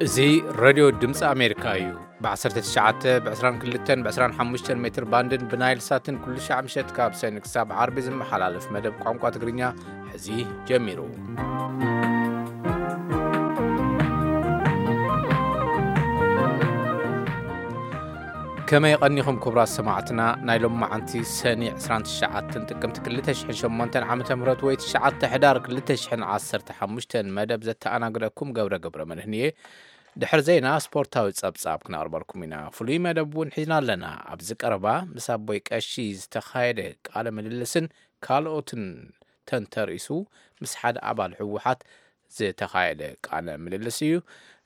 እዚ ሬድዮ ድምፂ ኣሜሪካ እዩ። ብ19፣ ብ22፣ ብ25 ሜትር ባንድን ብናይል ሳትን ኩሉ ሻዕ ምሸት ካብ ሰኒ ክሳብ ዓርቢ ዝመሓላለፍ መደብ ቋንቋ ትግርኛ ሕዚ ጀሚሩ። ከመይ ቀኒኹም ክቡራት ሰማዕትና? ናይ ሎማዓንቲ ሰኒ 29 ጥቅምቲ 2008 ዓመተ ምህረት ወይ 9 ሕዳር 2015 መደብ ዘተኣናግደኩም ገብረ ገብረ መድህን እየ። ድሕሪ ዜና ስፖርታዊ ጸብጻብ ክነቕርበልኩም ኢና። ፍሉይ መደብ እውን ሒዝና ኣለና። ኣብዚ ቀረባ ምስ ኣቦይ ቀሺ ዝተኻየደ ቃለ ምልልስን ካልኦትን ተንተሪሱ ምስ ሓደ ኣባል ህወሓት ዝተኻየደ ቃለ ምልልስ እዩ።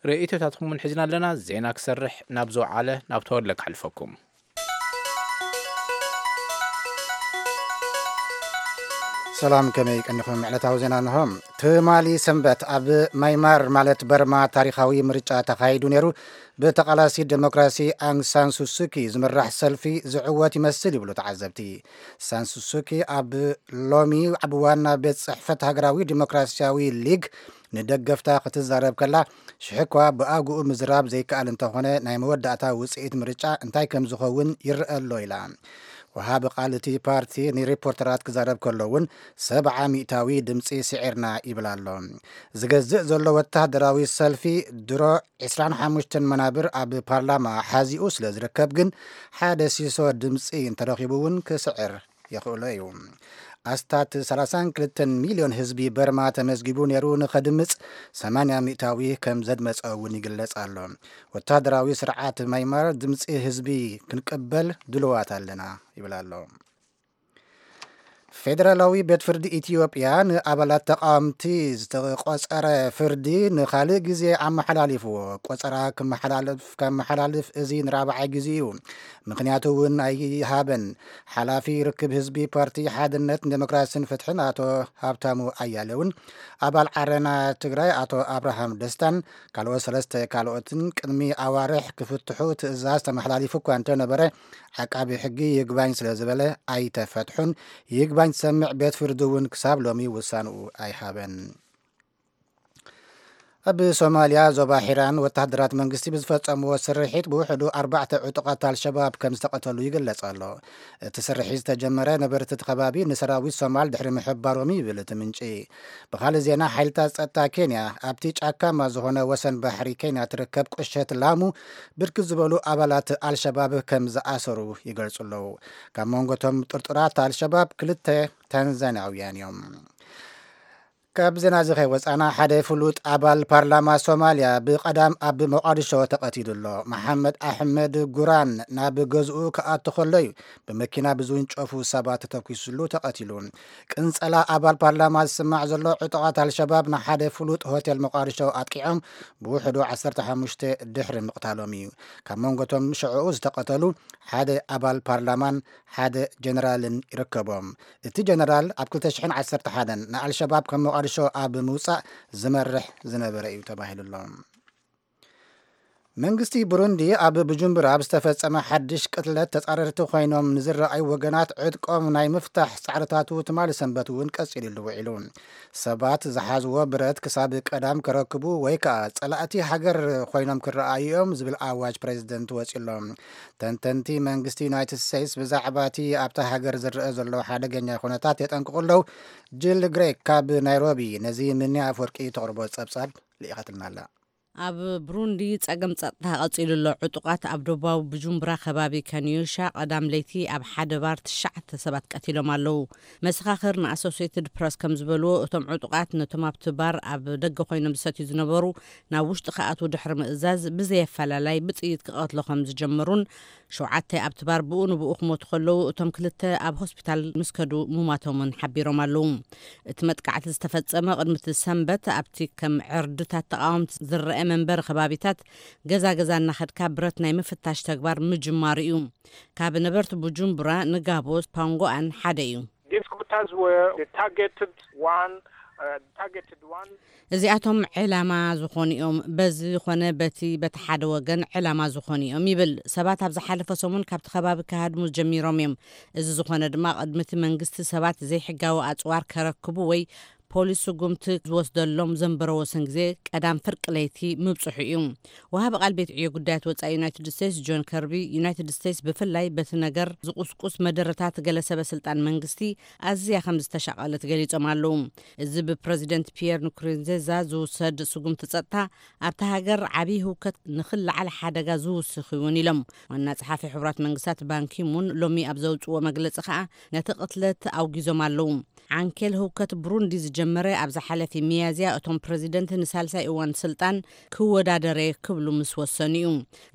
ርእይቶታትኩም እውን ሒዝና ኣለና። ዜና ክሰርሕ ናብ ዝወዓለ ናብ ተወለ ክሕልፈኩም። ሰላም፣ ከመይ ቀኒኹም? ዕለታዊ ዜና እንሆ። ትማሊ ሰንበት ኣብ ማይማር ማለት በርማ ታሪኻዊ ምርጫ ተኻይዱ ነይሩ። ብተቓላሲ ዴሞክራሲ ኣንግ ሳን ሱሱኪ ዝምራሕ ሰልፊ ዝዕወት ይመስል ይብሉ ተዓዘብቲ። ሳን ሱሱኪ ኣብ ሎሚ ኣብ ዋና ቤት ጽሕፈት ሃገራዊ ዴሞክራሲያዊ ሊግ ንደገፍታ ክትዛረብ ከላ፣ ሽሕ እኳ ብኣግኡ ምዝራብ ዘይከኣል እንተኾነ፣ ናይ መወዳእታ ውጽኢት ምርጫ እንታይ ከም ዝኸውን ይረአ ኣሎ ኢላ። ወሃቢ ቃል እቲ ፓርቲ ንሪፖርተራት ክዛረብ ከሎ እውን 70% ድምፂ ስዒርና ይብል ኣሎ። ዝገዝእ ዘሎ ወታደራዊ ሰልፊ ድሮ 25 መናብር ኣብ ፓርላማ ሓዚኡ ስለ ዝርከብ ግን ሓደ ሲሶ ድምፂ እንተረኺቡ እውን ክስዕር የኽእሎ እዩ። ኣስታት 32 ሚልዮን ህዝቢ በርማ ተመዝጊቡ ነይሩ፣ ንኸድምፅ 80% ከም ዘድመፀ እውን ይግለፅ ኣሎ። ወታደራዊ ስርዓት ማይማር ድምፂ ህዝቢ ክንቅበል ድልዋት ኣለና ይብል ኣሎ። ፌደራላዊ ቤት ፍርዲ ኢትዮጵያ ንኣባላት ተቃወምቲ ዝተቆጸረ ፍርዲ ንኻልእ ግዜ ኣመሓላሊፍዎ። ቆጸራ ክመሓላልፍ፣ ከመሓላልፍ እዚ ንራብዓይ ግዜ እዩ። ምኽንያቱ እውን ኣይሃበን። ሓላፊ ርክብ ህዝቢ ፓርቲ ሓድነት ዴሞክራሲን ፍትሕን ኣቶ ሃብታሙ ኣያሌውን ኣባል ዓረና ትግራይ ኣቶ ኣብርሃም ደስታን ካልኦት ሰለስተ ካልኦትን ቅድሚ ኣዋርሕ ክፍትሑ ትእዛዝ ተመሓላሊፉ እኳ እንተነበረ፣ ዓቃቢ ሕጊ ይግባኝ ስለ ዝበለ ኣይተፈትሑን። ይግባኝ ዝሰምዕ ቤት ፍርዲ እውን ክሳብ ሎሚ ውሳንኡ ኣይሃበን። ኣብ ሶማልያ ዞባ ሒራን ወታደራት መንግስቲ ብዝፈጸምዎ ስርሒት ብውሕዱ ኣርባዕተ ዕጡቓት ኣልሸባብ ከም ዝተቐተሉ ይግለጽ ኣሎ። እቲ ስርሒት ዝተጀመረ ነበርቲ እቲ ከባቢ ንሰራዊት ሶማል ድሕሪ ምሕባሮም ይብል እቲ ምንጪ። ብኻልእ ዜና፣ ሓይልታት ጸጥታ ኬንያ ኣብቲ ጫካማ ዝኾነ ወሰን ባሕሪ ኬንያ ትርከብ ቁሸት ላሙ ብርክት ዝበሉ ኣባላት ኣልሸባብ ከም ዝኣሰሩ ይገልጹ ኣለዉ። ካብ መንጎ እቶም ጥርጡራት ኣልሸባብ ክልተ ታንዛንያውያን እዮም። ካብ ዜና እዚ ከይወጻና፣ ሓደ ፍሉጥ ኣባል ፓርላማ ሶማልያ ብቐዳም ኣብ ሞቓዲሾ ተቐቲሉ ኣሎ። መሓመድ ኣሕመድ ጉራን ናብ ገዝኡ ክኣቱ ከሎ እዩ ብመኪና ብዝውንጨፉ ሰባት ተተኲሱሉ ተቐቲሉ። ቅንጸላ ኣባል ፓርላማ ዝስማዕ ዘሎ፣ ዕጡቓት ኣልሸባብ ንሓደ ፍሉጥ ሆቴል ሞቓዲሾ ኣጥቂዖም ብውሕዱ 15 ድሕሪ ምቕታሎም እዩ። ካብ መንጎ እቶም ሽዕኡ ዝተቐተሉ ሓደ ኣባል ፓርላማን ሓደ ጀነራልን ይርከቦም። እቲ ጀነራል ኣብ 2011 ንኣልሸባብ ካብ ሞቓዲሾ ኣብ ምውጻእ ዝመርሕ ዝነበረ እዩ ተባሂሉ ኣሎ። መንግስቲ ብሩንዲ ኣብ ብጁምቡራ ኣብ ዝተፈጸመ ሓድሽ ቅትለት ተጻረርቲ ኮይኖም ንዝረኣዩ ወገናት ዕጥቆም ናይ ምፍታሕ ጻዕርታቱ ትማሊ ሰንበት እውን ቀጺሉሉ ውዒሉ። ሰባት ዝሓዝዎ ብረት ክሳብ ቀዳም ከረክቡ ወይ ከኣ ጸላእቲ ሃገር ኮይኖም ክረኣዩ እዮም ዝብል ኣዋጅ ፕሬዝደንት ወጺሎም። ተንተንቲ መንግስቲ ዩናይትድ ስቴትስ ብዛዕባ እቲ ኣብታ ሃገር ዝረአ ዘሎ ሓደገኛ ኩነታት የጠንቅቑ ኣለዉ። ጅል ግሬክ ካብ ናይሮቢ ነዚ ምኒ ኣፍወርቂ ተቕርቦ ጸብጻብ ልኢኻትልና ኣላ። ኣብ ብሩንዲ ጸገም ጸጥታ ቀጺሉ ኣሎ። ዕጡቓት ኣብ ደቡባዊ ብጁምቡራ ከባቢ ከንዮሻ ቀዳም ለይቲ ኣብ ሓደ ባር ትሽዓተ ሰባት ቀቲሎም ኣለዉ። መሰኻኽር ንኣሶሴትድ ፕረስ ከም ዝበልዎ፣ እቶም ዕጡቓት ነቶም ኣብቲ ባር ኣብ ደገ ኮይኖም ዝሰትዩ ዝነበሩ ናብ ውሽጢ ክኣትዉ ድሕሪ ምእዛዝ ብዘየፈላላይ ብጥይት ክቐትሉ ከም ዝጀመሩን ሸውዓተ ኣብቲ ባር ብኡ ንብኡ ክሞቱ ከለዉ፣ እቶም ክልተ ኣብ ሆስፒታል ምስ ከዱ ምሟቶምን ሓቢሮም ኣለዉ። እቲ መጥቃዕቲ ዝተፈጸመ ቅድሚ እቲ ሰንበት ኣብቲ ከም ዕርድታት ተቓወምቲ ዝረአ መንበሪ ከባቢታት ገዛ ገዛ እናኸድካ ብረት ናይ ምፍታሽ ተግባር ምጅማሩ እዩ። ካብ ነበርቲ ቡጁምቡራ ንጋቦ ፓንጎኣን ሓደ እዩ። These scooters were the targeted one, uh, targeted one. እዚኣቶም ዕላማ ዝኾኑ እዮም። በዚ ኾነ በቲ በቲ ሓደ ወገን ዕላማ ዝኾኑ እዮም ይብል። ሰባት ኣብ ዝሓለፈ ሰሙን ካብቲ ከባቢ ክሃድሙ ጀሚሮም እዮም። እዚ ዝኾነ ድማ ቅድሚ እቲ መንግስቲ ሰባት ዘይሕጋዊ ኣጽዋር ከረክቡ ወይ ፖሊስ ስጉምቲ ዝወስደሎም ዘንበረ ወሰን ግዜ ቀዳም ፍርቂ ለይቲ ምብጽሑ እዩ። ወሃቢ ቃል ቤት ዕዮ ጉዳያት ወጻኢ ዩናይትድ ስቴትስ ጆን ከርቢ፣ ዩናይትድ ስቴትስ ብፍላይ በቲ ነገር ዝቁስቁስ መደረታት ገለ ሰበ ስልጣን መንግስቲ ኣዝያ ከም ዝተሻቐለት ገሊጾም ኣለዉ። እዚ ብፕረዚደንት ፒየር ንኩሩንዜዛ ዝውሰድ ስጉምቲ ጸጥታ ኣብታ ሃገር ዓብዪ ህውከት ንኽልዓል ሓደጋ ዝውስኽ እውን ኢሎም። ዋና ጸሓፊ ሕቡራት መንግስታት ባንኪሙን ሎሚ ኣብ ዘውጽዎ መግለጺ ከኣ ነቲ ቅትለት ኣውጊዞም ኣለዉ። ዓንኬል ህውከት ብሩንዲ ዝጀመረ ኣብ ዝሓለፊ ሚያዝያ እቶም ፕረዚደንት ንሳልሳይ እዋን ስልጣን ክወዳደረ ክብሉ ምስ ወሰኑ እዩ።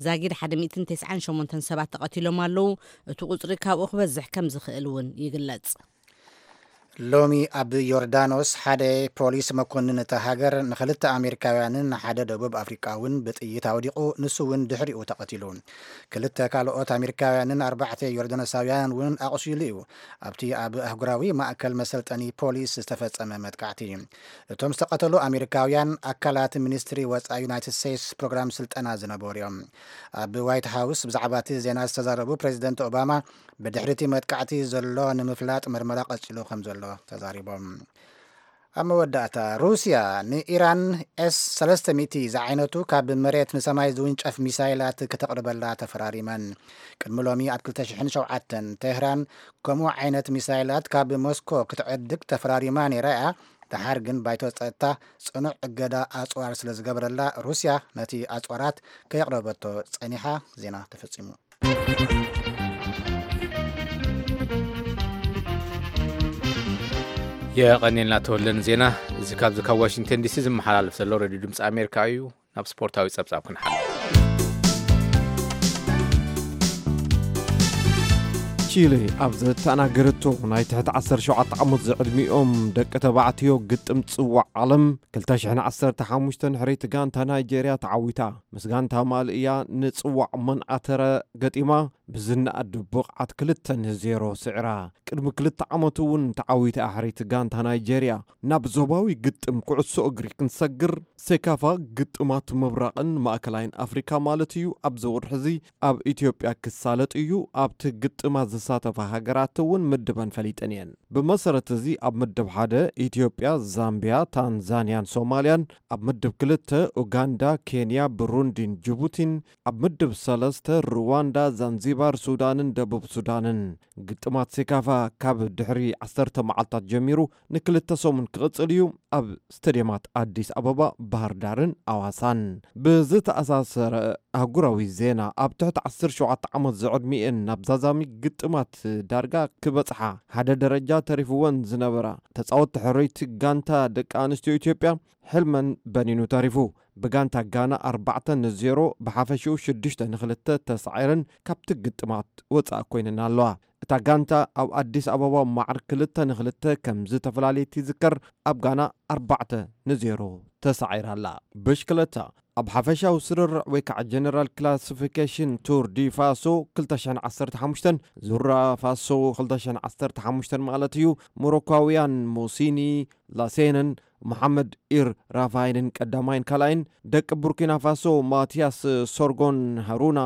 ዛጊድ ሓደ ሚእትን ተስዓን ሸሞንተን ሰባት ተቐቲሎም ኣለዉ። እቲ ቁጽሪ ካብኡ ክበዝሕ ከም ዝኽእል እውን ይግለጽ። ሎሚ ኣብ ዮርዳኖስ ሓደ ፖሊስ መኮንን እታ ሃገር ንኽልተ ኣሜሪካውያንን ንሓደ ደቡብ ኣፍሪቃውን ብጥይት ኣውዲቑ፣ ንሱ እውን ድሕሪኡ ተቐቲሉ። ክልተ ካልኦት ኣሜሪካውያንን ኣርባዕተ ዮርዳኖሳውያን እውን ኣቑሲሉ እዩ። ኣብቲ ኣብ ኣህጉራዊ ማእከል መሰልጠኒ ፖሊስ ዝተፈጸመ መጥቃዕቲ። እቶም ዝተቐተሉ ኣሜሪካውያን ኣካላት ሚኒስትሪ ወጻኢ ዩናይትድ ስቴትስ ፕሮግራም ስልጠና ዝነበሩ እዮም። ኣብ ዋይት ሃውስ ብዛዕባ እቲ ዜና ዝተዛረቡ ፕሬዚደንት ኦባማ፣ ብድሕሪ እቲ መጥቃዕቲ ዘሎ ንምፍላጥ መርመራ ቀጺሉ ከም ዘሎ ተዛሪቦም። ኣብ መወዳእታ፣ ሩስያ ንኢራን ኤስ ሰለስተ ሚእቲ ዝዓይነቱ ካብ መሬት ንሰማይ ዝውንጨፍ ሚሳይላት ክተቕርበላ ተፈራሪመን። ቅድሚ ሎሚ ኣብ ክልተ ሽሕን ሸውዓተን፣ ቴህራን ከምኡ ዓይነት ሚሳይላት ካብ ሞስኮ ክትዕድግ ተፈራሪማ ነይራ እያ። ደሓር ግን ባይቶ ጸጥታ ጽኑዕ እገዳ ኣጽዋር ስለ ዝገበረላ፣ ሩስያ ነቲ ኣጽዋራት ከየቕረበቶ ጸኒሓ። ዜና ተፈጺሙ። የቐኔልና ተወለን ዜና። እዚ ካብዚ ካብ ዋሽንግተን ዲሲ ዝመሓላለፍ ዘሎ ሬድዮ ድምፂ ኣሜሪካ እዩ። ናብ ስፖርታዊ ጸብጻብ ክንሓልፍ። ቺሊ ኣብ ዘተኣናገረቶ ናይ ትሕቲ ዓሰርተ ሸውዓተ ዓመት ዝዕድሚኦም ደቂ ተባዕትዮ ግጥም ጽዋዕ ዓለም ክልተ ሽሕን ዓሰርተ ሓሙሽተን ሕርይቲ ጋንታ ናይጄርያ ተዓዊታ። ምስ ጋንታ ማሊ እያ ንጽዋዕ መንኣተረ ገጢማ፣ ብዝነኣድ ብቕዓት ክልተ ንዜሮ ስዒራ። ቅድሚ ክልተ ዓመት እውን ተዓዊታ ሕርይቲ ጋንታ ናይጄርያ። ናብ ዞባዊ ግጥም ኩዕሶ እግሪ ክንሰግር፣ ሴካፋ ግጥማት ምብራቕን ማእከላይን ኣፍሪካ ማለት እዩ ኣብዚ ወርሒ እዚ ኣብ ኢትዮጵያ ክሳለጥ እዩ። ኣብቲ ግጥማት ዝሳተፋ ሃገራት እውን ምድበን ፈሊጠን እየን። ብመሰረት እዚ ኣብ ምድብ ሓደ ኢትዮጵያ፣ ዛምቢያ፣ ታንዛንያን ሶማልያን፣ ኣብ ምድብ ክልተ ኡጋንዳ፣ ኬንያ፣ ብሩንዲን ጅቡቲን፣ ኣብ ምድብ ሰለስተ ሩዋንዳ፣ ዛንዚባር፣ ሱዳንን ደቡብ ሱዳንን። ግጥማት ሴካፋ ካብ ድሕሪ ዓሰርተ መዓልታት ጀሚሩ ንክልተ ሰሙን ክቕጽል እዩ። ኣብ ስቴድየማት ኣዲስ ኣበባ፣ ባህር ዳርን ኣዋሳን። ብዝተኣሳሰረ ኣህጉራዊ ዜና፣ ኣብ ትሕቲ ዓሰርተ ሸውዓተ ዓመት ዝዕድሚኤን ናብ ዛዛሚ ግጥማት ዳርጋ ክበጽሓ ሓደ ደረጃ ተሪፍወን ዝነበራ ተጻወትቲ ሕርይቲ ጋንታ ደቂ ኣንስትዮ ኢትዮጵያ ሕልመን በኒኑ ተሪፉ። ብጋንታ ጋና ኣርባዕተ ንዜሮ፣ ብሓፈሽኡ ሽዱሽተ ንክልተ ተሳዒረን ካብቲ ግጥማት ወጻኢ ኮይነን ኣለዋ። እታ ጋንታ ኣብ ኣዲስ ኣበባ ማዕር ክልተ ንክልተ ከም ዝተፈላለየት ይዝከር። ኣብ ጋና ኣርባዕተ ንዜሮ ተሳዒራ ኣላ። ብሽክለታ ኣብ ሓፈሻዊ ስርርዕ ወይ ከዓ ጀነራል ክላሲፊኬሽን ቱር ዲ ፋሶ ክልተ ሽሕን ዓሰርተ ሓሙሽተን፣ ዙራ ፋሶ ክልተ ሽሕን ዓሰርተ ሓሙሽተን ማለት እዩ፣ ሞሮኳውያን ሞሲኒ ላሴንን መሓመድ ኢር ራፋይንን ቀዳማይን ካልኣይን፣ ደቂ ቡርኪና ፋሶ ማቲያስ ሶርጎን ሃሩና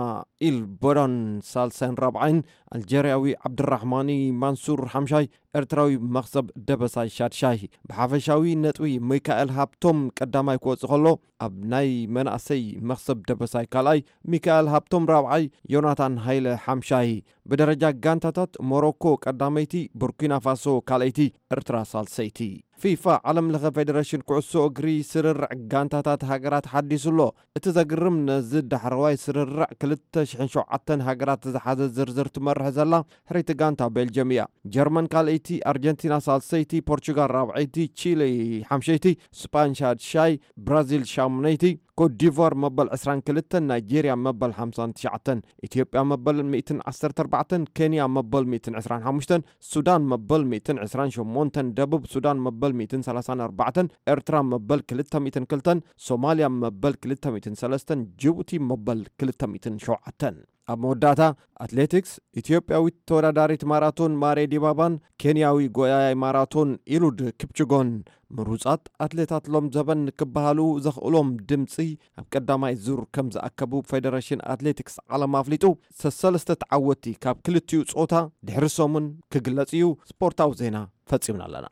ኢል ቦራን ሳልሳይን ራብዓይን፣ ኣልጀርያዊ ዓብድራሕማኒ ማንሱር ሓምሻይ፣ ኤርትራዊ መኽሰብ ደበሳይ ሻድሻይ። ብሓፈሻዊ ነጥቢ ሚካኤል ሃብቶም ቀዳማይ ክወጽእ ከሎ፣ ኣብ ናይ መናእሰይ መኽሰብ ደበሳይ ካልኣይ፣ ሚካኤል ሃብቶም ራብዓይ፣ ዮናታን ሃይለ ሓምሻይ። ብደረጃ ጋንታታት ሞሮኮ ቀዳመይቲ፣ ቡርኪና ፋሶ ካልኣይቲ፣ ኤርትራ ሳልሰይቲ። ፊፋ ዓለም ለኸ ፌደሬሽን ኩዕሶ እግሪ ስርርዕ ጋንታታት ሃገራት ሓዲሱ ኣሎ። እቲ ዘግርም ነዚ ዳሕረዋይ ስርርዕ ክልተ ሽሕን ሸውዓተን ሃገራት ዝሓዘ ዝርዝር ትመርሕ ዘላ ሕርይቲ ጋንታ ቤልጅየም እያ። ጀርመን ካልኣይቲ፣ ኣርጀንቲና ሳልሰይቲ፣ ፖርቹጋል ራብዐይቲ፣ ቺሊ ሓምሸይቲ፣ ስጳን ሻድሻይ፣ ብራዚል ሻሙነይቲ፣ ኮትዲቯር መበል ዕስራን ክልተን፣ ናይጄርያ መበል ሓምሳን ትሽዓተን፣ ኢትዮጵያ መበል ሚእትን ዓሰርተ ኣርባዕተን፣ ኬንያ መበል ሚእትን ዕስራን ሓሙሽተን፣ ሱዳን መበል ሚእትን ዕስራን ሸሞንተን፣ ደቡብ ሱዳን መበል ሚእትን ሰላሳን ኣርባዕተን፣ ኤርትራ መበል ክልተ ሚእትን ክልተን፣ ሶማልያ መበል ክልተ ሚእትን ሰለስተን፣ ጅቡቲ መበል ክልተ ሚእትን ሸውዓተን። ኣብ መወዳእታ ኣትሌቲክስ፣ ኢትዮጵያዊት ተወዳዳሪት ማራቶን ማሬ ዲባባን ኬንያዊ ጎያያይ ማራቶን ኢሉድ ኪፕችጎን ምሩጻት ኣትሌታት ሎም ዘበን ክበሃሉ ዘኽእሎም ድምጺ ኣብ ቀዳማይ ዙር ከም ዝኣከቡ ፌደሬሽን ኣትሌቲክስ ዓለም ኣፍሊጡ። ሰሰለስተ ተዓወትቲ ካብ ክልቲኡ ጾታ ድሕሪ ሰሙን ክግለጽ እዩ። ስፖርታዊ ዜና ፈጺምና ኣለና።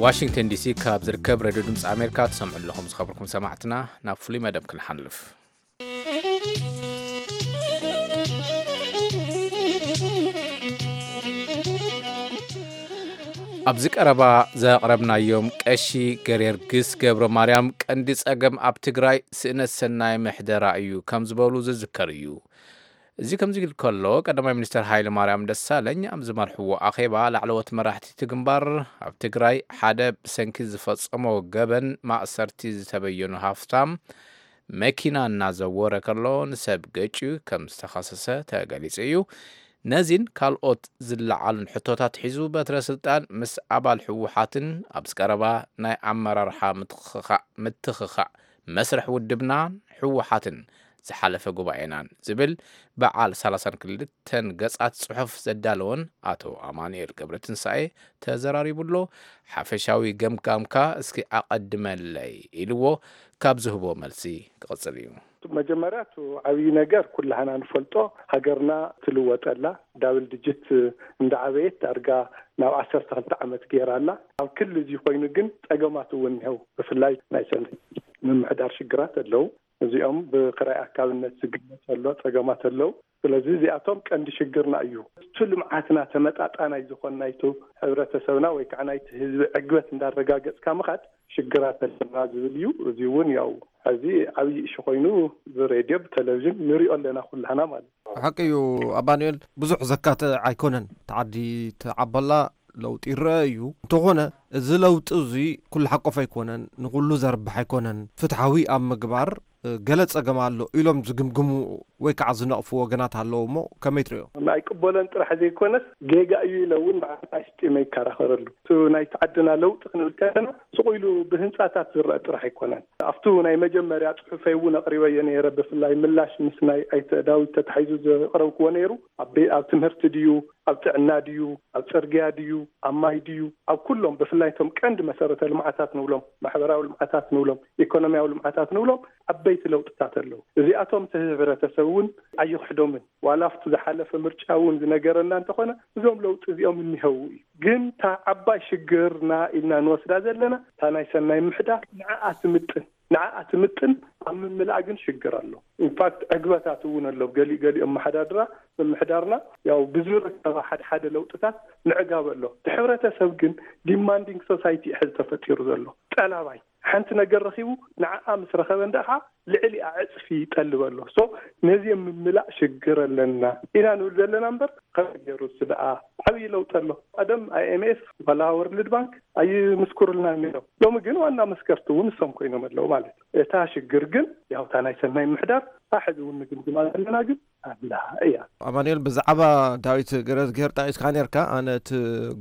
ዋሽንግተን ዲሲ ካብ ዝርከብ ሬድዮ ድምፂ ኣሜሪካ ትሰምዑ ኣለኹም። ዝኸበርኩም ሰማዕትና፣ ናብ ፍሉይ መደብ ክንሓልፍ። ኣብዚ ቀረባ ዘቕረብናዮም ቀሺ ገርጊስ ገብረ ማርያም፣ ቀንዲ ጸገም ኣብ ትግራይ ስእነት ሰናይ ምሕደራ እዩ ከም ዝበሉ ዝዝከር እዩ። እዚ ከምዚ ኢሉ ከሎ፣ ቀዳማይ ሚኒስትር ሃይለ ማርያም ደሳለኝ ኣብ ዝመርሕዎ ኣኼባ፣ ላዕለዎት መራሕቲ እቲ ግንባር፣ ኣብ ትግራይ ሓደ ብሰንኪ ዝፈጸሞ ገበን ማእሰርቲ ዝተበየኑ ሃፍታም፣ መኪና እናዘወረ ከሎ ንሰብ ገጭዩ ከም ዝተኸሰሰ ተገሊጹ እዩ። ነዚን ካልኦት ዝለዓሉን ሕቶታት ሒዙ፣ በትረ ስልጣን ምስ ኣባል ህወሓትን ኣብዚ ቀረባ ናይ ኣመራርሓ ምትኽኻእ፣ ምትኽኻእ መስርሕ ውድብናን ህወሓትን ዝሓለፈ ጉባኤናን ዝብል በዓል ሰላሳን ክልተን ገጻት ጽሑፍ ዘዳለወን ኣቶ ኣማኑኤል ገብረትንሳኤ ተዘራሪቡ ኣሎ። ሓፈሻዊ ገምጋምካ እስኪ ኣቐድመለይ ኢልዎ፣ ካብ ዝህቦ መልሲ ክቕጽል እዩ። መጀመርያ፣ እቲ ዓብዪ ነገር ኩላህና ንፈልጦ፣ ሃገርና ትልወጠላ፣ ዳብል ዲጂት እንዳዓበየት ዳርጋ ናብ ዓሰርተ ክልተ ዓመት ገይራ ኣላ። ኣብ ክሊ እዚ ኮይኑ ግን ጸገማት እውን እኒሀው። ብፍላይ ናይ ሰንበት ምምሕዳር ሽግራት ኣለዉ። እዚኦም ብክራይ ኣካብነት ዝግለጽ ኣሎ፣ ጸገማት ኣለዉ። ስለዚ እዚኣቶም ቀንዲ ሽግርና እዩ። እቲ ልምዓትና ተመጣጣናይ ዝኾን ናይቱ ሕብረተሰብና ወይ ከዓ ናይቲ ህዝቢ ዕግበት እንዳረጋገጽካ ምኻድ ሽግራት ኣለና ዝብል እዩ። እዚ እውን ያው ሕዚ ዓብዪ እሺ ኮይኑ ብሬድዮ ብቴሌቪዥን ንሪኦ ኣለና ኩላህና ማለት እዩ። ሓቂ እዩ ኣማኑኤል፣ ብዙሕ ዘካትዕ ኣይኮነን። እቲ ዓዲ ትዓበላ ለውጢ ይረአ እዩ። እንተኾነ እዚ ለውጢ እዚ ኩሉ ሓቆፍ ኣይኮነን፣ ንኹሉ ዘርብሕ ኣይኮነን። ፍትሓዊ ኣብ ምግባር ገለ ጸገም ኣሎ ኢሎም ዝግምግሙ ወይ ከዓ ዝነቕፉ ወገናት ኣለዉ እሞ ከመይ ትርእዮ? ኣይቅበሎን ጥራሕ ዘይኮነስ ጌጋ እዩ ኢለ እውን ንዓይ ኣስጢመ ይከራኸረሉ። እቲ ናይቲ ዓድና ለውጢ ክንብል ከለና ስቕ ኢሉ ብህንጻታት ዝረአ ጥራሕ ኣይኮነን። ኣብቱ ናይ መጀመርያ ጽሑፈይ እውን ኣቕሪበዮ ነይረ። ብፍላይ ምላሽ ምስ ናይ ኣይተ ዳዊት ተታሒዙ ዘቕረብክዎ ነይሩ። ኣብ ቤ-፣ ኣብ ትምህርቲ ድዩ፣ ኣብ ጥዕና ድዩ፣ ኣብ ጽርግያ ድዩ፣ ኣብ ማይ ድዩ፣ ኣብ ኩሎም ብፍላይ እቶም ቀንዲ መሰረተ ልምዓታት ንብሎም፣ ማሕበራዊ ልምዓታት ንብሎም፣ ኢኮኖሚያዊ ልምዓታት ንብሎም ዓበይቲ ለውጥታት ኣለዉ። እዚኣቶም እቲ ህብረተሰብ እውን ኣይኽሕዶምን። ዋላ ኣብቲ ዝሓለፈ ምርጫ እውን ዝነገረና እንተኾነ እዞም ለውጢ እዚኦም እኒሀው እዩ። ግን እታ ዓባይ ሽግርና ኢልና ንወስዳ ዘለና እታ ናይ ሰናይ ምሕዳር ንዓኣ ትምጥን፣ ንዓኣ ትምጥን ኣብ ምምላእ ግን ሽግር ኣሎ። ኢንፋክት ዕግበታት እውን ኣሎ። ገሊኡ ገሊኡ ኣመሓዳድራ ምምሕዳርና ያው ብዝርከባ ሓደ ሓደ ለውጥታት ምዕጋብ ኣሎ። እቲ ሕብረተሰብ ግን ዲማንዲንግ ሶሳይቲ እዩ ሕዚ ተፈጢሩ ዘሎ። ጠላባይ ሓንቲ ነገር ረኺቡ ንዓኣ ምስ ረኸበ እንዳ ኸዓ ልዕሊኣ ዕፅፊ ይጠልብ ኣሎ። ሶ ነዚ ምምላእ ሽግር ኣለና ኢና ንብል ዘለና እምበር ከመይ ገይሩ እሱ ደኣ ዓብዪ ለውጢ ኣሎ። ቀደም ኣይ ኤም ኤፍ ዋላ ወርልድ ባንክ ኣይምስክሩልናን ነይሮም። ሎሚ ግን ዋና መስከርቲ እውን እሶም ኮይኖም ኣለዉ ማለት እዩ። እታ ሽግር ግን ያው እታ ናይ ሰናይ ምሕዳር እታ ሕዚ እውን ንግምግማ ዘለና ግን ኣላ እያ። ኣማኑኤል፣ ብዛዕባ ዳዊት ገረዝግሄር ጠቒስካ ነርካ። ኣነ እቲ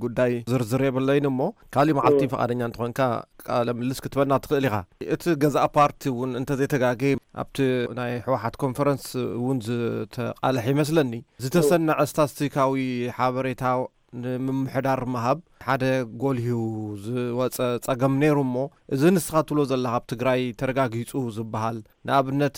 ጉዳይ ዝርዝር የብለይን እሞ ካሊእ መዓልቲ እወ። ፍቓደኛ እንተኾንካ ቃለ ምልልስ ክትበና ትኽእል ኢኻ። እቲ ገዛእ ፓርቲ እውን እንተዘይተጋገየ ኣብቲ ናይ ህወሓት ኮንፈረንስ እውን ዝተቓልሐ ይመስለኒ። ዝተሰነዐ ስታስቲካዊ ሓበሬታ ንምምሕዳር ምሃብ ሓደ ጎልሂው ዝወፀ ጸገም ነይሩ እሞ፣ እዚ ንስኻ ትብሎ ዘለኻ ኣብ ትግራይ ተረጋጊጹ ዝበሃል፣ ንኣብነት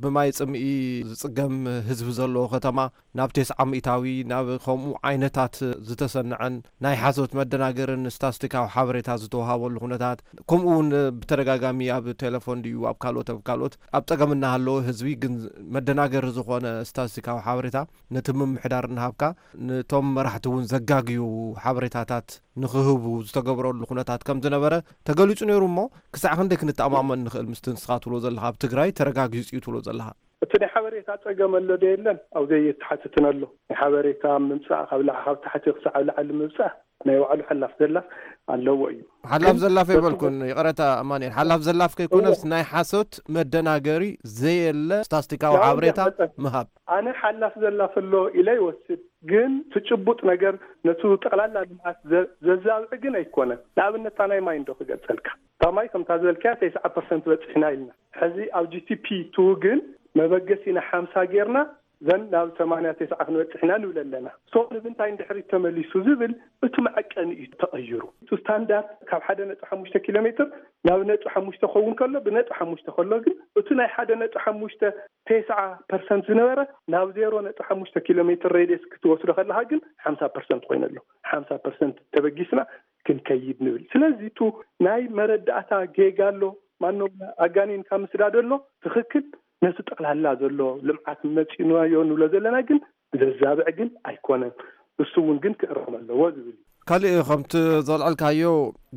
ብማይ ጽምኢ ዝጽገም ህዝቢ ዘለዎ ከተማ ናብ ተስዓ ሚእታዊ፣ ናብ ከምኡ ዓይነታት ዝተሰንዐን ናይ ሓሶት መደናገርን ስታስቲካዊ ሓበሬታ ዝተውሃበሉ ኩነታት፣ ከምኡ እውን ብተደጋጋሚ ኣብ ቴሌፎን ድዩ ኣብ ካልኦት፣ ኣብ ካልኦት ኣብ ጸገም እናሃለወ ህዝቢ ግን መደናገሪ ዝኾነ ስታስቲካዊ ሓበሬታ ነቲ ምምሕዳር እናሃብካ፣ ነቶም መራሕቲ እውን ዘጋግዩ ሓበሬታታት ንኽህቡ ዝተገብረሉ ኩነታት ከም ዝነበረ ተገሊጹ ነይሩ እሞ፣ ክሳዕ ክንደይ ክንተኣማመን ንኽእል ምስቲ ንስኻ ትብሎ ዘለኻ ኣብ ትግራይ ተረጋጊጹ እዩ ትብሎ ዘለኻ? እቲ ናይ ሓበሬታ ጸገም ኣሎ ዶ የለን? ኣብ ዘይተሓትትን ኣሎ። ናይ ሓበሬታ ምምጻእ ካብ ላዕ-፣ ካብ ታሕቲ ክሳዕ ኣብ ላዕሊ ምብጻሕ ናይ ባዕሉ ሓላፍ ዘላፍ ኣለዎ እዩ። ሓላፍ ግን ዘላፍ በቲ ኣይበልኩን፣ ይቕረታ ኣማኑኤል። ሓላፍ ዘላፍ ከይኮነስ እወ። ናይ ሓሶት መደናገሪ ዘየለ ስታስቲካዊ ያው ሓበሬታ እንዲያ መጠን ምሃብ። ኣነ ሓላፍ ዘላፍ ኣሎ ኢለ ይወስድ፣ ግን እቲ ጭቡጥ ነገር ነቱ ጠቕላላ ልምዓት ዘ-፣ ዘዛብዕ ግን ኣይኮነን። ንኣብነት እታ ናይ ማይ እንዶ ክገልጸልካ። እታ ማይ ከምታ ዝበልካያ ተስዓ ፐርሰንት በጺሕና ኢልና። ሕዚ ኣብ ጂ ቲ ፒ ቱ ግን መበገሲና ሓምሳ ጌርና ዘን ናብ ሰማንያ ተስዓ ክንበጽሕ ኢና ንብል ኣለና። ሶ ንምንታይ እንድሕሪት ተመሊሱ ዝብል እቲ መዐቀኒ እዩ ተቐይሩ። እቲ ስታንዳርድ ካብ ሓደ ነጥቢ ሓሙሽተ ኪሎ ሜትር ናብ ነጥቢ ሓሙሽተ ክኸውን ከሎ፣ ብነጥቢ ሓሙሽተ ከሎ ግን እቲ ናይ ሓደ ነጥቢ ሓሙሽተ ተስዓ ፐርሰንት ዝነበረ ናብ ዜሮ ነጥቢ ሓሙሽተ ኪሎ ሜትር ሬድየስ ክትወስዶ ከለኻ ግን ሓምሳ ፐርሰንት ኮይኑ ኣሎ። ሓምሳ ፐርሰንት ተበጊስና ክንከይድ ንብል። ስለዚ እቲ ናይ መረዳእታ ጌጋ ኣሎ፣ ማኖ ኣጋኒንካ ምስዳድ ኣሎ። ትኽክል፣ ነቲ ጠቕላላ ዘሎ ልምዓት መፂናዮ ንብሎ ዘለና ግን ዘዛብዕ ግን ኣይኮነን። እሱ እውን ግን ክእረም ኣለዎ ዝብል እዩ። ካልእ ከምቲ ዘልዐልካዮ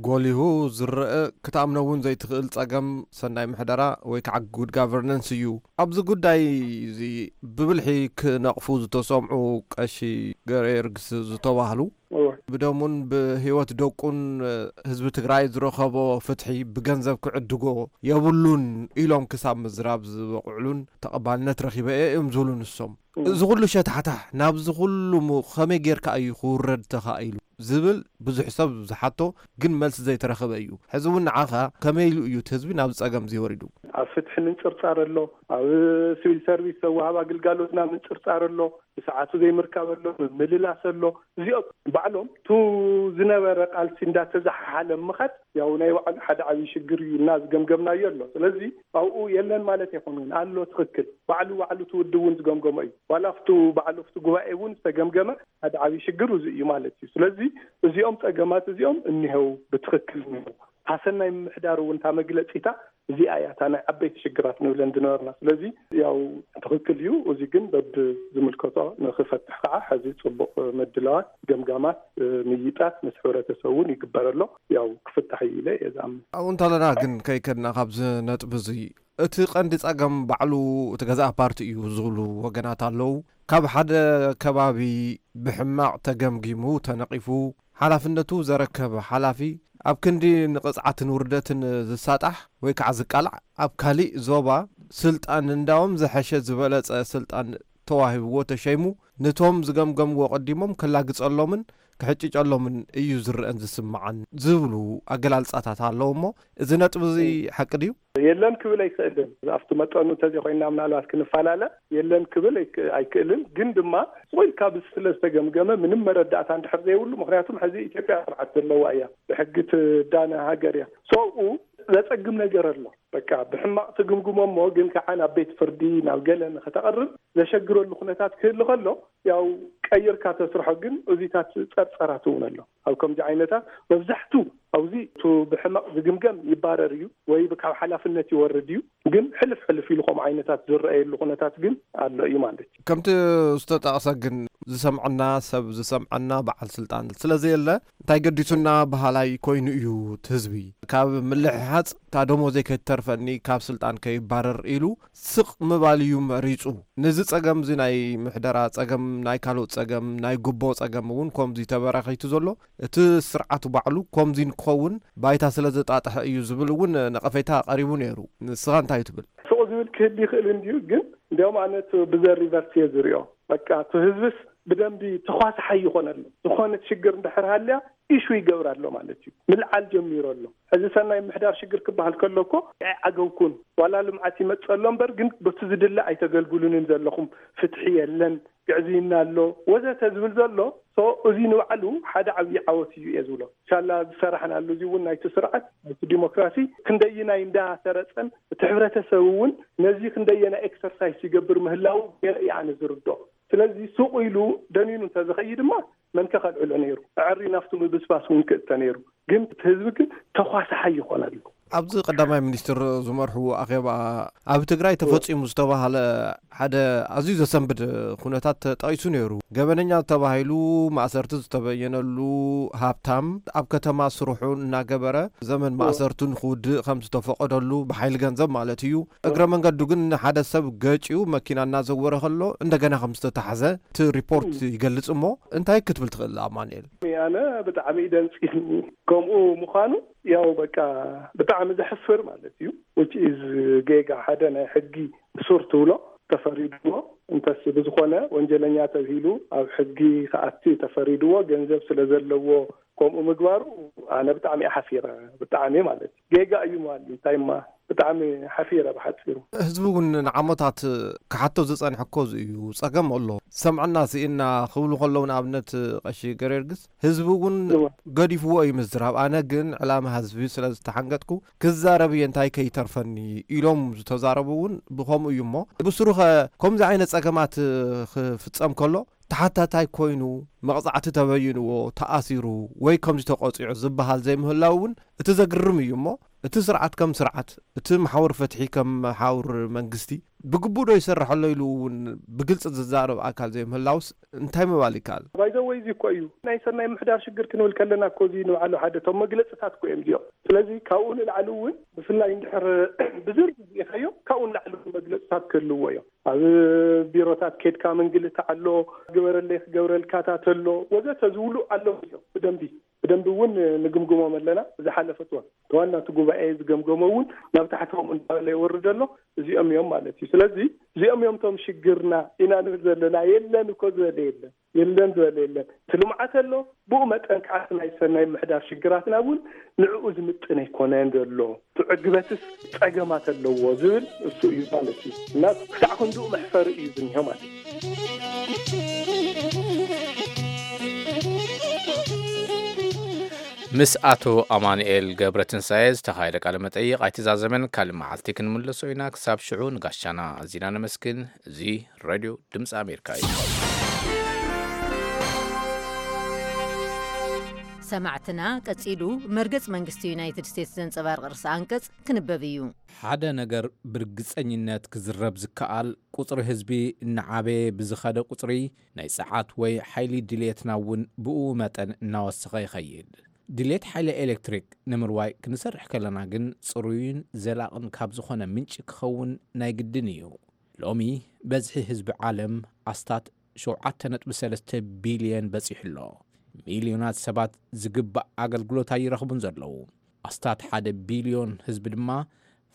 ጎሊሁ ዝረአ፣ ክትኣምኖ እውን ዘይትኽእል ጸገም ሰናይ ምሕደራ ወይ ከዓ ጉድ ጋቨርነንስ እዩ። ኣብዚ ጉዳይ እዚ ብብልሒ ክነቕፉ ዝተሰምዑ ቀሺ ገርጊዮርጊስ ዝተባህሉ፣ ብደሙን ብህይወት ደቁን ህዝቢ ትግራይ ዝረኸቦ ፍትሒ ብገንዘብ ክዕድጎ የብሉን ኢሎም ክሳብ ምዝራብ ዝበቕዕሉን ተቐባልነት ረኺበ እየ እዮም ዝብሉ ንሶም። እዚ ኩሉ ሸታሕታሕ ናብዚ ኩሉ ከመይ ጌርካ እዩ ክውረድ ተኻኢሉ ዝብል ብዙሕ ሰብ ዝሓቶ ግን መልሲ ዘይተረኸበ እዩ። ሕዚ እውን ንዓኻ ከመይ ኢሉ እዩ እቲ ህዝቢ ናብዚ ጸገም እዚ ወሪዱ? ኣብ ፍትሒ ምንጽርጻር ኣሎ፣ ኣብ ሲቪል ሰርቪስ ዘወሃብ ኣግልጋሎትና ምንጽርጻር ኣሎ፣ ብሰዓቱ ዘይምርካብ ኣሎ፣ ምምልላስ ኣሎ። እዚኦም ባዕሎም ቱ ዝነበረ ቃልሲ እንዳተዘሓሓለ ምኻድ ያው ናይ ባዕሉ ሓደ ዓብዪ ሽግር እዩ እና ዝገምገምናዮ ኣሎ። ስለዚ ኣብኡ የለን ማለት ኣይኮነን ኣሎ፣ ትኽክል። ባዕሉ ባዕሉ እቲ ውድብ እውን ዝገምገሞ እዩ። ዋላ ኣብቱ ባዕሉ ኣብቲ ጉባኤ እውን ዝተገምገመ ሓደ ዓብዪ ሽግር እዚ እዩ ማለት እዩ። ስለዚ እዚኦም ጸገማት እዚኦም እኒሀው፣ ብትኽክል እኒሀው። ታሰናይ ምምሕዳር እውን እታ መግለፂታ እዚኣ እያ እታ ናይ ዓበይቲ ሽግራት ንብለን ዝነበርና። ስለዚ ያው ትኽክል እዩ። እዚ ግን በብ ዝምልከቶ ንክፈትሕ ከዓ ሕዚ ፅቡቕ ምድላዋት፣ ገምጋማት፣ ምይጣት ምስ ሕብረተሰብ እውን ይግበረሎ። ያው ክፍታሕ እዩ ኢለ እየ ዝኣምን። ኣብኡ እንተለና ግን ከይከድና ካብዚ ነጥቢ እዚ እቲ ቀንዲ ጸገም ባዕሉ እቲ ገዛእ ፓርቲ እዩ ዝብሉ ወገናት ኣለዉ። ካብ ሓደ ከባቢ ብሕማቕ ተገምጊሙ ተነቒፉ ሓላፍነቱ ዘረከበ ሓላፊ ኣብ ክንዲ ንቕጽዓትን ውርደትን ዝሳጣሕ ወይ ከዓ ዝቃላዕ፣ ኣብ ካሊእ ዞባ ስልጣን እንዳዎም ዝሐሸ ዝበለጸ ስልጣን ተዋሂብዎ ተሸይሙ፣ ነቶም ዝገምገምዎ ቀዲሞም ከላግጸሎምን ክሕጭጨሎምን እዩ ዝረአን ዝስምዓን ዝብሉ ኣገላልጻታት ኣለዉ። እሞ እዚ ነጥቢ እዚ ሓቂ ድዩ? የለን ክብል ኣይክእልን። ኣብቲ መጠኑ እንተዘይኮይንና ምናልባት ክንፈላለ የለን ክብል ኣይክ- ኣይክእልን። ግን ድማ ስቕ ኢልካ ብዚ ስለ ዝተገምገመ ምንም መረዳእታ እንድሕር ዘይብሉ፣ ምክንያቱም ሕዚ ኢትዮጵያ ስርዓት ዘለዋ እያ፣ ብሕጊ ትዳነ ሃገር እያ። ሰብኡ ዘጸግም ነገር ኣሎ። በቃ ብሕማቕ ትግምግሞ እሞ ግን ከዓ ናብ ቤት ፍርዲ ናብ ገለ ንክተቐርብ ዘሸግረሉ ኩነታት ክህሉ ከሎ ያው ቀይርካ ተስርሖ። ግን እዚታት ጸርጸራት እውን ኣሎ። ኣብ ከምዚ ዓይነታት መብዛሕቱ ኣብዚ እቱ ብሕመቕ ዝግምገም ይባረር እዩ ወይ ካብ ሓላፍነት ይወርድ እዩ። ግን ሕልፍ ሕልፍ ኢሉ ከምኡ ዓይነታት ዝረኣየሉ ኩነታት ግን ኣሎ እዩ ማለት እዩ። ከምቲ ዝተጠቕሰ ግን ዝሰምዐና ሰብ ዝሰምዐና በዓል ስልጣን ስለዘየለ እንታይ ገዲሱና በሃላይ ኮይኑ እዩ እቲ ህዝቢ። ካብ ምልሕሓፅ እታ ደሞዘይ ከይትተርፈኒ ካብ ስልጣን ከይባረር ኢሉ ስቕ ምባል እዩ መሪፁ። ነዚ ፀገም እዚ ናይ ምሕደራ ፀገም፣ ናይ ካልኦት ፀገም፣ ናይ ጉቦ ፀገም እውን ከምዚ ተበራኺቱ ዘሎ እቲ ስርዓት ባዕሉ ከምዚ ንክኸውን ባይታ ስለ ዘጣጥሐ እዩ ዝብል እውን ነቐፌታ ቀሪቡ ነይሩ። ንስኻ እንታይ ትብል? ስቕ ዝብል ክህል ይኽእል እንድዩ፣ ግን እንዲያውም ኣነ እቲ ብዘ ሪቨርስ እየ ዝሪኦ። በቃ እቲ ህዝብስ ብደንቢ ተኳሳሓይ ይኾን ኣሎ። ዝኾነት ሽግር እንድሕር ሃልያ ኢሹ ይገብር ኣሎ ማለት እዩ። ምልዓል ጀሚሩ ኣሎ። ሕዚ ሰናይ ምሕዳር ሽግር ክበሃል ከሎ እኮ ኣይዓገብኩን። ዋላ ልምዓት ይመጽእ ኣሎ እምበር ግን በቲ ዝድለ ኣይተገልግሉንን ዘለኹም፣ ፍትሒ የለን፣ ግዕዝይና ኣሎ ወዘተ ዝብል ዘሎ። ሶ እዚ ንባዕሉ ሓደ ዓብዪ ዓወት እዩ እየ ዝብሎ። ሻላ ዝሰራሕናሉ እዚ እውን ናይቲ ስርዓት ናይቲ ዲሞክራሲ ክንደይናይ እንዳሰረጸን እቲ ሕብረተሰብ እውን ነዚ ክንደየናይ ኤክሰርሳይስ ይገብር ምህላው ገለ እየ ኣነ ዝርዶ። ስለዚ ሱቕ ኢሉ ደኒኑ እንተዝኸይድ ድማ መን ከ ከልዕሎ ነይሩ? ኣዕሪ ናብቲ ምብስባስ እውን ክእተ ነይሩ። ግን እቲ ህዝቢ ግን ተኳሳሓይ ይኾነሉ። ኣብዚ ቀዳማይ ሚኒስትር ዝመርሕዎ ኣኼባ ኣብ ትግራይ ተፈፂሙ ዝተባሃለ ሓደ ኣዝዩ ዘሰንብድ ኩነታት ተጠቒሱ ነይሩ። ገበነኛ ተባሂሉ ማእሰርቲ ዝተበየነሉ ሃብታም ኣብ ከተማ ስርሑ እናገበረ ዘመን ማእሰርቱ ንክውድእ ከም ዝተፈቐደሉ ብሓይሊ ገንዘብ ማለት እዩ። እግረ መንገዱ ግን ሓደ ሰብ ገጭዩ መኪና እናዘወረ ከሎ እንደገና ከም ዝተታሕዘ እቲ ሪፖርት ይገልጽ። እሞ እንታይ ክትብል ትኽእል ኣማኑኤል? ኣነ ብጣዕሚ እዩ ደንፂ ከምኡ ምዃኑ ያው በቃ ብጣዕሚ ዘሕፍር ማለት እዩ። which is ጌጋ ሓደ ናይ ሕጊ እሱር ትብሎ ተፈሪድዎ እንተስ ብዝኾነ ወንጀለኛ ተብሂሉ ኣብ ሕጊ ክኣቲ ተፈሪድዎ ገንዘብ ስለ ዘለዎ ከምኡ ምግባሩ ኣነ ብጣዕሚ እየ ሓፊረ። ብጣዕሚ ማለት እዩ ጌጋ እዩ ምባል እዩ። እንታይ እማ ብጣዕሚ ሓፊረ ብሓፂሩ። ህዝቢ እውን ንዓመታት ክሓቶ ዝፀንሐ እኮ እዚ እዩ። ፀገም ኣሎ። ሰምዕና ስኢና ክብሉ ከለዉ ንኣብነት ቀሺ ገርጊዮርጊስ ህዝቢ እውን እወ። ገዲፍዎ እዩ ምዝራብ። ኣነ ግን ዕላማ ህዝቢ ስለ ዝተሓንገጥኩ ክዛረብ እየ እንታይ ከይተርፈኒ ኢሎም ዝተዛረቡ እውን ብኸምኡ እዩ። እሞ ብስሩኸ ከምዚ ዓይነት ፀገማት ክፍፀም ከሎ ተሓታታይ ኮይኑ መቕጻዕቲ ተበይንዎ፣ ተኣሲሩ ወይ ከምዚ ተቖጺዑ ዝበሃል ዘይምህላው እውን እቲ ዘግርም እዩ። እሞ እቲ ስርዓት ከም ስርዓት፣ እቲ መሓውር ፍትሒ ከም መሓውር መንግስቲ ብግቡእ ዶ ይሰርሕ ኣሎ ኢሉ እውን ብግልጺ ዝዛረብ ኣካል ዘይምህላውስ እንታይ ምባል ይከኣል? ባይዘወይ እዚ እኮ እዩ ናይ ሰናይ ምሕዳር ሽግር ክንብል ከለና እኮ እዚ ንባዕሉ ሓደ እቶም መግለጽታት እኮ እዮም እዚኦም። ስለዚ ካብኡ ንላዕሊ እውን ብፍላይ እንድሕር ብዝርዝር ርኢኻዮ ካብኡ ንላዕሊ እውን መግለጽታት ክህልዎ እዮም። ኣብ ቢሮታት ኬድካ ምንግልታዕ ኣሎ፣ ግበረለይ ክገብረልካታት ኣሎ ወዘተ ዝብሉ ኣለዉ እዮም። ብደንቢ ብደንቢ እውን ንግምግሞም ኣለና። ዝሓለፈ እዋን እቲ ዋና እቲ ጉባኤ ዝገምገሞ እውን ናብ ታሕቶም እንዳበለ ይወርድ ኣሎ። እዚኦም እዮም ማለት እዩ። ስለዚ እዚኦም እዮም እቶም ሽግርና ኢና ንብል ዘለና። የለን እኮ ዝበለ የለን፣ የለን ዝበለ የለን። እቲ ልምዓት ኣሎ፣ ብኡ መጠን ከዓ እቲ ናይ ሰናይ ምሕዳር ሽግራትና እውን ንዕኡ ዝምጥን ኣይኮነን ዘሎ። እቲ ዕግበትስ ጸገማት ኣለዎ ዝብል እሱ እዩ ማለት እዩ። እና ክሳዕ ክንድኡ መሕፈሪ እዩ ዝኒሆ ማለት እዩ። ምስ ኣቶ ኣማኑኤል ገብረ ትንሳኤ ዝተኻየደ ቃለ መጠይቕ ኣይተዛዘመን። ካልእ መዓልቲ ክንምለሶ ኢና። ክሳብ ሽዑ ንጋሻና ኣዚና ነመስግን። እዚ ሬድዮ ድምፂ ኣሜሪካ እዩ። ሰማዕትና፣ ቀጺሉ መርገጽ መንግስቲ ዩናይትድ ስቴትስ ዘንጸባርቕ ርእሰ ኣንቀጽ ክንበብ እዩ። ሓደ ነገር ብርግጸኝነት ክዝረብ ዝከኣል፣ ቁጽሪ ህዝቢ እናዓበየ ብዝኸደ ቁጽሪ፣ ናይ ጸዓት ወይ ሓይሊ ድልየትና እውን ብኡ መጠን እናወሰኸ ይኸይድ። ድሌት ሓይሊ ኤሌክትሪክ ንምርዋይ ክንሰርሕ ከለና ግን ጽሩይን ዘላቕን ካብ ዝኾነ ምንጪ ክኸውን ናይ ግድን እዩ። ሎሚ በዝሒ ህዝቢ ዓለም ኣስታት ሸውዓተ ነጥቢ ሰለስተ ቢልዮን በጺሑ ኣሎ። ሚልዮናት ሰባት ዝግባእ ኣገልግሎት ኣይረኽቡን ዘለዉ። ኣስታት ሓደ ቢልዮን ህዝቢ ድማ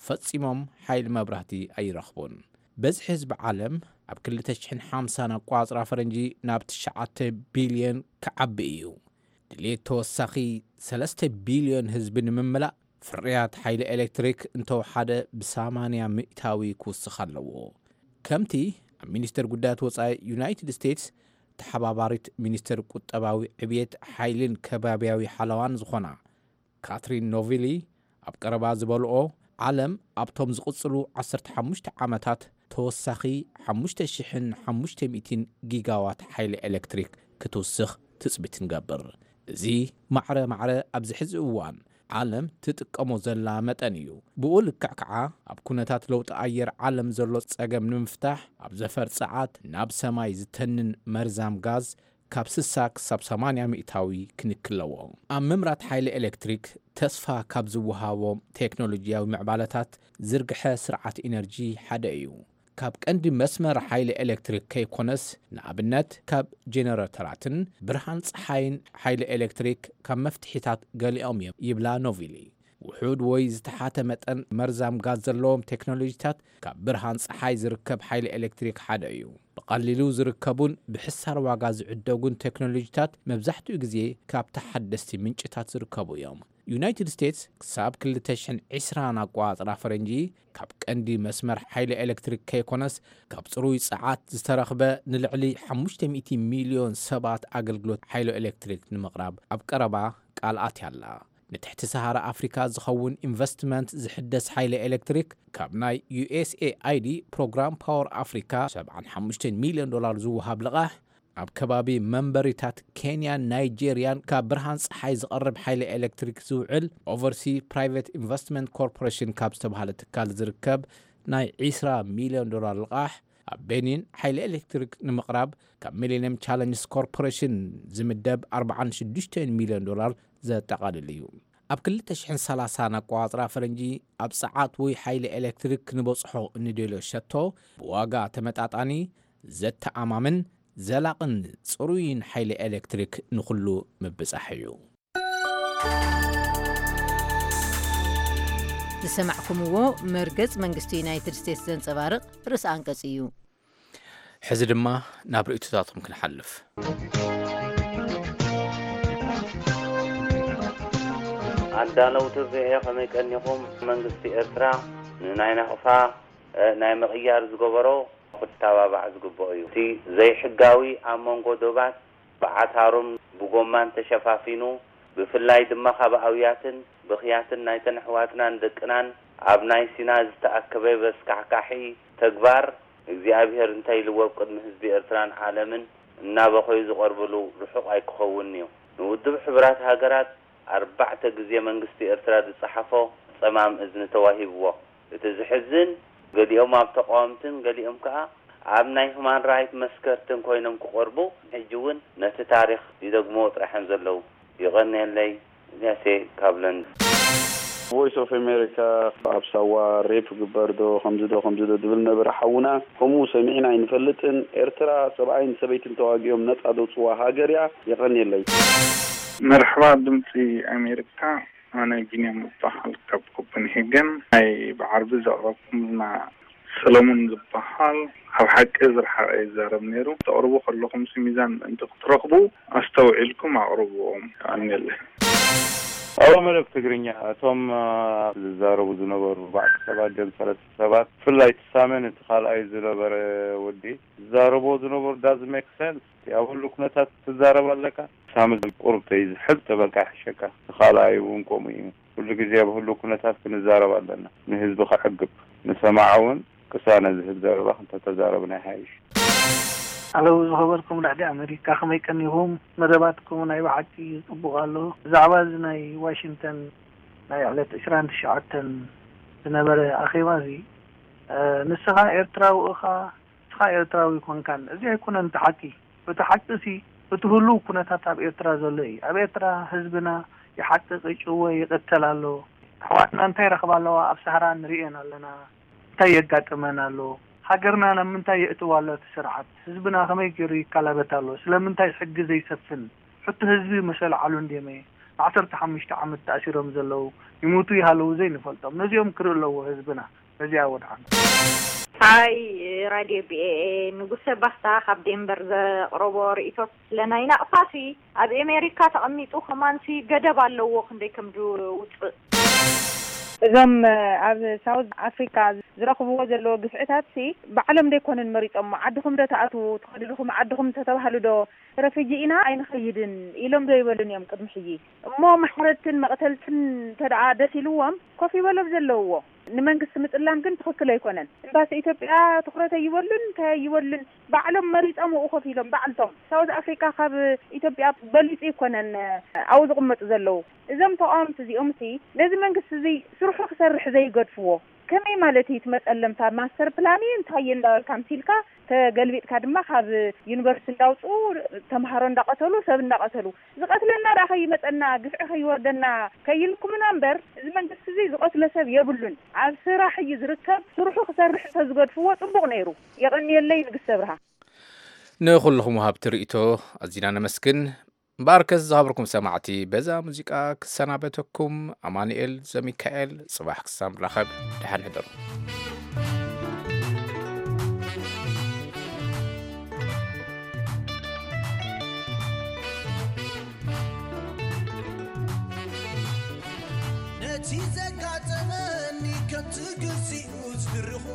ፈጺሞም ሓይሊ መብራህቲ ኣይረኽቡን። በዝሒ ህዝቢ ዓለም ኣብ ክልተ ሽሕን ሓምሳን ኣቋጽራ ፈረንጂ ናብ ትሽዓተ ቢልዮን ክዓቢ እዩ። ድሌት ተወሳኺ ሰለስተ ቢልዮን ህዝቢ ንምምላእ ፍርያት ሓይሊ ኤሌክትሪክ እንተወሓደ ብሰማንያ ሚእታዊ ክውስኽ ኣለዎ። ከምቲ ኣብ ሚኒስተር ጉዳያት ወጻኢ ዩናይትድ ስቴትስ ተሓባባሪት ሚኒስተር ቁጠባዊ ዕብየት ሓይልን ከባብያዊ ሓለዋን ዝኾና ካትሪን ኖቪሊ ኣብ ቀረባ ዝበልኦ፣ ዓለም ኣብቶም ዝቕጽሉ ዓሰርተ ሓሙሽተ ዓመታት ተወሳኺ ሓሙሽተ ሽሕን ሓሙሽተ ሚእትን ጊጋዋት ሓይሊ ኤሌክትሪክ ክትውስኽ ትጽቢት ንገብር። እዚ ማዕረ ማዕረ ኣብዚ ሕዚ እዋን ዓለም ትጥቀሞ ዘላ መጠን እዩ። ብኡ ልክዕ ከዓ ኣብ ኩነታት ለውጢ ኣየር ዓለም ዘሎ ጸገም ንምፍታሕ ኣብ ዘፈር ጸዓት ናብ ሰማይ ዝተንን መርዛም ጋዝ ካብ ስሳ ክሳብ ሰማንያ ሚእታዊ ክንክለዎ። ኣብ ምምራት ሓይሊ ኤሌክትሪክ ተስፋ ካብ ዝወሃቦም ቴክኖሎጂያዊ ምዕባለታት ዝርግሐ ስርዓት ኢነርጂ ሓደ እዩ። ካብ ቀንዲ መስመር ሓይሊ ኤሌክትሪክ ከይኮነስ፣ ንኣብነት ካብ ጀነረተራትን ብርሃን ጸሓይን ሓይሊ ኤሌክትሪክ ካብ መፍትሒታት ገሊኦም እዮም ይብላ ኖቪሊ። ውሑድ ወይ ዝተሓተ መጠን መርዛም ጋዝ ዘለዎም ቴክኖሎጂታት ካብ ብርሃን ጸሓይ ዝርከብ ሓይሊ ኤሌክትሪክ ሓደ እዩ። ብቐሊሉ ዝርከቡን ብሕሳር ዋጋ ዝዕደጉን ቴክኖሎጂታት መብዛሕትኡ ግዜ ካብ ተሓደስቲ ምንጭታት ዝርከቡ እዮም። ዩናይትድ ስቴትስ ክሳብ ክልተ ሽሕን ዕስራን ኣቋጽራ ፈረንጂ ካብ ቀንዲ መስመር ሓይሊ ኤሌክትሪክ ከይኮነስ ካብ ጽሩይ ጸዓት ዝተረኽበ ንልዕሊ ሓሙሽተ ሚእቲ ሚልዮን ሰባት ኣገልግሎት ሓይሊ ኤሌክትሪክ ንምቕራብ ኣብ ቀረባ ቃል ኣትያ ኣላ። ንትሕቲ ሰሃራ ኣፍሪካ ዝኸውን ኢንቨስትመንት ዝሕደስ ሓይሊ ኤሌክትሪክ ካብ ናይ ዩ ኤስ ኤ ኣይ ዲ ፕሮግራም ፓወር ኣፍሪካ ሰብዓን ሓሙሽተን ሚልዮን ዶላር ዝወሃብ ልቓሕ ኣብ ከባቢ መንበሪታት ኬንያን ናይጄርያን ካብ ብርሃን ጸሓይ ዝቐርብ ሓይሊ ኤሌክትሪክ ዝውዕል ኦቨርሲ ፕራይቬት ኢንቨስትመንት ኮርፖሬሽን ካብ ዝተባሃለ ትካል ዝርከብ ናይ ዒስራ ሚልዮን ዶላር ልቓሕ ኣብ ቤኒን ሓይሊ ኤሌክትሪክ ንምቕራብ ካብ ሚሊኒየም ቻለንጅስ ኮርፖሬሽን ዝምደብ ኣርባዓን ሽዱሽተን ሚልዮን ዶላር ዘጠቓልል እዩ። ኣብ ክልተ ሽሕን ሰላሳን ኣቋጽራ ፈረንጂ ኣብ ጸዓት ወይ ሓይሊ ኤሌክትሪክ ክንበጽሖ እንደልዮ ሸቶ ብዋጋ ተመጣጣኒ፣ ዘተኣማምን ዘላቕን ጽሩይን ሓይሊ ኤሌክትሪክ ንኹሉ ምብጻሕ እዩ። ዝሰማዕኩምዎ መርገጽ መንግስቲ ዩናይትድ ስቴትስ ዘንጸባርቕ ርእሲ ኣንቀጽ እዩ። ሕዚ ድማ ናብ ርእይቶታትኩም ክንሓልፍ። ኣዳለውቲ ቪኦኤ ከመይ ቀኒኹም? መንግስቲ ኤርትራ ንናይ ናቕፋ ናይ ምቕያር ዝገበሮ ክተባባዕ ዝግብኦ እዩ። እቲ ዘይሕጋዊ ኣብ መንጎ ዶባት ብዓታሩን ብጎማን ተሸፋፊኑ፣ ብፍላይ ድማ ካብ ኣውያትን ብኽያትን ናይተን ኣሕዋትናን ደቅናን ኣብ ናይ ሲና ዝተኣከበ በስካሕካሒ ተግባር እግዚኣብሔር እንታይ ኢልዎ ኣብ ቅድሚ ህዝቢ ኤርትራን ዓለምን እናበኸዩ ዝቐርብሉ ርሑቕ ኣይክኸውንን'ዩ። ንውድብ ሕቡራት ሃገራት ኣርባዕተ ግዜ መንግስቲ ኤርትራ ዝጸሓፎ ጸማም እዝኒ ተዋሂብዎ። እቲ ዝሕዝን፣ ገሊኦም ኣብ ተቓወምትን ገሊኦም ከኣ ኣብ ናይ ሁማን ራይት መስከርትን ኮይኖም ክቐርቡ፣ ሕጂ እውን ነቲ ታሪኽ ይደግምዎ ጥራይ እዮም ዘለዉ። ይቐንየለይ፣ እግያሴ ካብ ለንደን። ቮይስ ኦፍ ኣሜሪካ ኣብ ሳዋ ሬፕ ግበር ዶ ከምዚ ዶ ከምዚ ዶ ዝብል ነበረ ሓውና፣ ከምኡ ሰሚዕና ኣይንፈልጥን። ኤርትራ ሰብኣይን ሰበይትን ተዋጊኦም ነጻ ዘውጽዋ ሃገር እያ። የቐንየለይ። መርሓባ ድምፂ ኣሜሪካ፣ ኣነ ቢንያም እበሃል ካብ ኮፐንሄገን። ናይ ብዓርቢ ዘቕረብኩምልና ሰለሙን ዝበሃል ኣብ ሓቂ ዝረሓቐ ይዛረብ ነይሩ። ተቕርቡ ከለኹምሲ ሚዛን ምእንቲ ክትረኽቡ ኣስተውዒልኩም ኣቕርብዎም። የቐንየለይ። ሄሎ መደብ ትግርኛ፣ እቶም አ፣ ዝዛረቡ ዝነበሩ ኣርባዕተ ሰባት ድዮም ሰለስተ ሰባት፣ ብፍላይ እቲ ሳመን እቲ ካልኣይ ዝነበረ ወዲ ዝዛረብዎ ዝነበሩ ዳዝ ሜክ ሰንስ። እቲ ኣብ ህሉ ኩነታት ትዛረብ ኣለካ። ሳሚ ቁሩብ ተይዝሕል ተበልካ ይሕሸካ። እቲ ካልኣይ እውን ከምኡ እዩ። ኩሉ ግዜ ኣብ ህሉ ኩነታት ክንዛረብ ኣለና። ንህዝቢ ከዕግብ፣ ንሰማዓ እውን ቅሳነ ዝህብ ዘረባ እንተተዛረብና ይሓይሽ። ኣለዉ ዝኸበርኩም ራድዮ ኣሜሪካ፣ ከመይ ቀኒኹም? መደባትኩም ናይ ብሓቂ ጽቡቕ ኣሎ። ብዛዕባ እዚ ናይ ዋሽንግተን ናይ ዕለት ዕስራን ትሽዓተን ዝነበረ ኣኼባ እዚ፣ እ፣ ንስኻ ኤርትራዊ ኢኻ፣ ንስኻ ኤርትራዊ ኣይኮንካን። እዚ ኣይኮነን እቲ ሓቂ። እቲ ሓቂ ሲ፣ እቲ ህሉው ኩነታት ኣብ ኤርትራ ዘሎ እዩ። ኣብ ኤርትራ ህዝብና ይሓቅቕ፣ ይጭወ፣ ይቕተል ኣሎ። ኣሕዋትና እንታይ ረኽባ ኣለዋ? ኣብ ሳህራ ንርእየን ኣለና። እንታይ የጋጥመን ኣሎ? ሃገርና ናብ ምንታይ የእትዋ ኣሎ እቲ ስርዓት? ህዝብና ከመይ ገይሩ ይከላበት ኣሎ? ስለምንታይ ሕጊ ዘይሰፍን? ሕቶ ህዝቢ መሰል ዓሉ እንድየመ ንዓሰርተ ሓሙሽተ ዓመት ተኣሲሮም ዘለዉ፣ ይሙቱ ይሃለዉ ዘይንፈልጦም፣ ነዚኦም ክርኢ ኣለዎ ህዝብና። በዚኣ ወድዓና። ሃይ ራድዮ ቪኦኤ፣ ንጉሰ ባስታ ካብ ዴንቨር ዘቕረቦ ርእይቶ፣ ስለ ናይ ናቕፋሲ ኣብ ኣሜሪካ ተቐሚጡ ከማንሲ ገደብ ኣለዎ ክንደይ ከም ዝውፅእ። እዞም ኣብ ሳውዝ ኣፍሪካ ዝረኽብዎ ዘለዎ ግፍዕታት ሲ ባዕሎም ደይኮኑን መሪጾሞ? ዓድኹም ዶ ተኣትዉ ትኸዱ ዲኹም? ዓድኹም እንተተባህሉ ዶ ረፍጂ ኢና ኣይንኸይድን ኢሎም ዶ ይበሉን እዮም ቅድሚ ሕጂ? እሞ ማሕረድትን መቕተልትን እንተደኣ ደስ ኢልዎም ኮፍ ይበሎም ዘለውዎ። ንመንግስቲ ምጽላም ግን ትኽክል ኣይኮነን። ኤምባሲ ኢትዮጵያ ትኹረት ኣይበሉን እንታይ ኣይበሉን፣ ባዕሎም መሪጾም ኣብኡ ኮፍ ኢሎም ባዕልቶም። ሳውዝ ኣፍሪካ ካብ ኢትዮጵያ በሊጹ ኣይኮነን ኣብኡ ዝቕመጡ ዘለዉ። እዞም ተቓወምቲ እዚኦም ሲ ነዚ መንግስቲ እዚ ስርሑ ክሰርሕ ዘይገድፍዎ ከመይ ማለት እዩ? እቲ መጸለምታ ማስተር ፕላን እዩ እንታይ እዩ እንዳበልካ ምሲልካ ተገልቢጥካ ድማ ካብ ዩኒቨርሲቲ እንዳውፅኡ ተምሃሮ እንዳቐተሉ ሰብ እንዳቐተሉ ዝቐትለና ደኣ ከይመፀና ግፍዒ ከይወርደና ከይልኩምና እምበር እዚ መንግስቲ እዚ ዝቐትሎ ሰብ የብሉን። ኣብ ስራሕ እዩ ዝርከብ። ስርሑ ክሰርሕ እንተዝገድፍዎ ፅቡቕ ነይሩ። የቐንየለይ ንግስቲ ኣብርሃ። ንኹልኹም ወሃብቲ ርእይቶ ኣዚና ነመስግን። እምበኣርከስ ዝኸበርኩም ሰማዕቲ በዛ ሙዚቃ ክሰናበተኩም ኣማኑኤል ዘሚካኤል። ጽባሕ ክሳብ ንራኸብ ደሓን ሕደሩ። ነቲ ዘጋጠመኒ ከምቲ ግዚኡ ዝድርኾ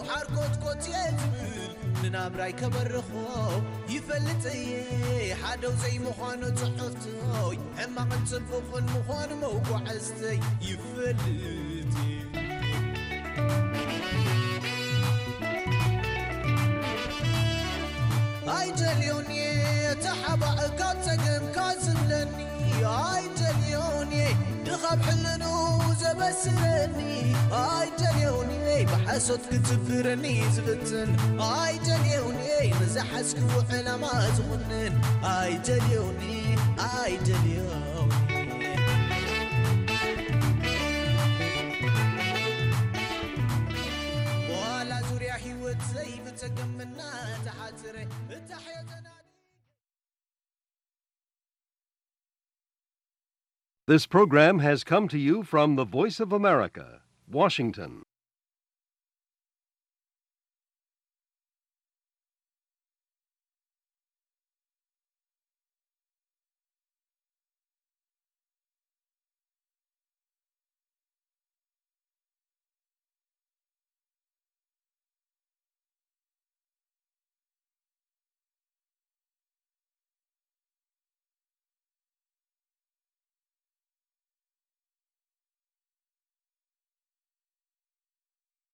ሓርኮትኮት እየ ዝብል ንናብራይ ከበርኾ ይፈልጥ እየ ሓደው ዘይምዃኑ ጽሑፍቶይ ሕማቕን ጽቡቕን ምዃኑ መጓዕዝተይ ይፈልጥ እየ ኣይደልዮን እየ ተሓባእ ካብ ጸገምካ ዝብለኒ ኣይደልዮን እየ ድኻብ ሕልኑ ዘበስረኒ ኣይደልዮን እየ ብሓሶት ክትብረኒ ዝፍትን ኣይደልዮን እየ ንዝሓዝክዎ ዕላማ ዝኹንን ኣይደልዮን እየ ኣይደልዮን እየ ዋላ ዙርያ ህይወት ዘይብጸገምና ተሓጽረ እታሕዮ ተናዲ This program has come to you from the Voice of America, Washington.